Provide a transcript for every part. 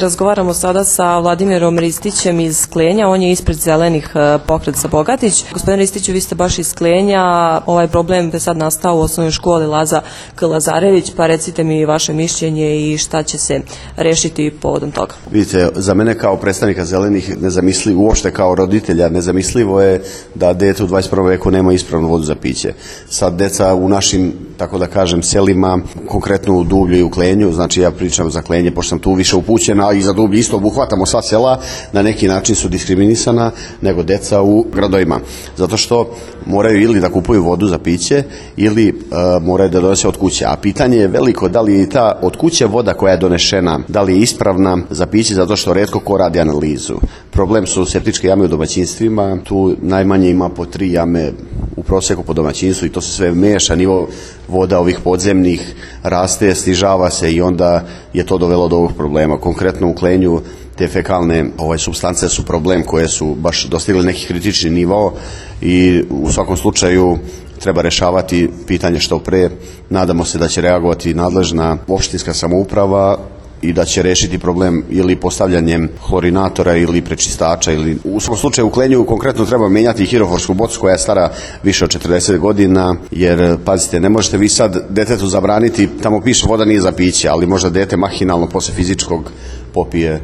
Razgovaramo sada sa Vladimirom Ristićem iz Sklenja, on je ispred Zelenih pokret za Bogatić. Gospodine Ristiću, vi ste baš iz Sklenja, ovaj problem je sad nastao u osnovnoj školi Laza K. Lazarević, pa recite mi vaše mišljenje i šta će se rešiti povodom toga. Vidite, za mene kao predstavnika Zelenih nezamislivo, uopšte kao roditelja nezamislivo je da dete u 21. veku nema ispravnu vodu za piće. Sad deca u našim, tako da kažem, selima, konkretno u Dublju i u Klenju, znači ja pričam za Klenje, pošto sam tu više upućen, a i za Dublje isto obuhvatamo sva sela, na neki način su diskriminisana nego deca u gradovima. Zato što moraju ili da kupuju vodu za piće ili moraju da donose od kuće. A pitanje je veliko da li je ta od kuće voda koja je donešena, da li je ispravna za piće, zato što retko ko radi analizu. Problem su septičke jame u domaćinstvima, tu najmanje ima po 3 jame u prosjeku po domaćinstvu i to se sve meša, nivo voda ovih podzemnih raste, snižava se i onda je to dovelo do ovog problema. Konkretno u Klenju te fekalne supstance su problem koje su baš dostigli neki kritični nivo i u svakom slučaju treba rešavati pitanje što pre. Nadamo se da će reagovati nadležna opštinska samouprava i da će rešiti problem ili postavljanjem hlorinatora ili prečistača. Ili u svakom slučaju u Klenju konkretno treba menjati hiroforsku bocu koja je stara više od 40 godina, jer pazite, ne možete vi sad detetu zabraniti, tamo piše voda nije za piće, ali možda dete mahinalno posle fizičkog popije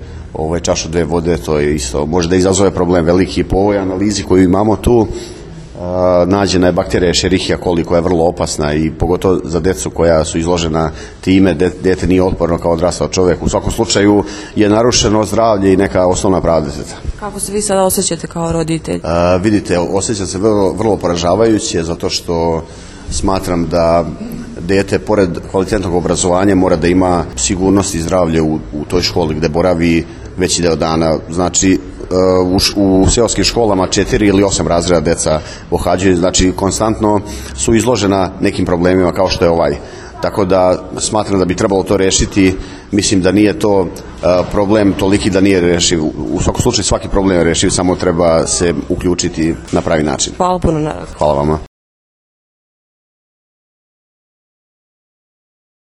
čašu 2 vode, to je isto, može da izazove problem veliki. Po ovoj analizi koju imamo tu, nađena je bakterija Escherichia coli koja je vrlo opasna i pogotovo za decu koja su izložena time, dete nije otporno kao odrastao čovjek. U svakom slučaju je narušeno zdravlje i neka osnovna prava deteta. Kako se vi sada osjećate kao roditelj? Vidite, osjećam se vrlo poražavajuće zato što smatram da dete, pored kvalitetnog obrazovanja, mora da ima sigurnost i zdravlje u toj školi gde boravi veći deo dana. Znači, u seoskim školama 4 ili 8 razreda deca pohađaju, znači konstantno su izložena nekim problemima kao što je ovaj. Tako da smatram da bi trebalo to rešiti. Mislim da nije to problem toliki da nije rešiv. U svakom slučaju svaki problem je rešiv, samo treba se uključiti na pravi način. Hvala puno. Hvala vama.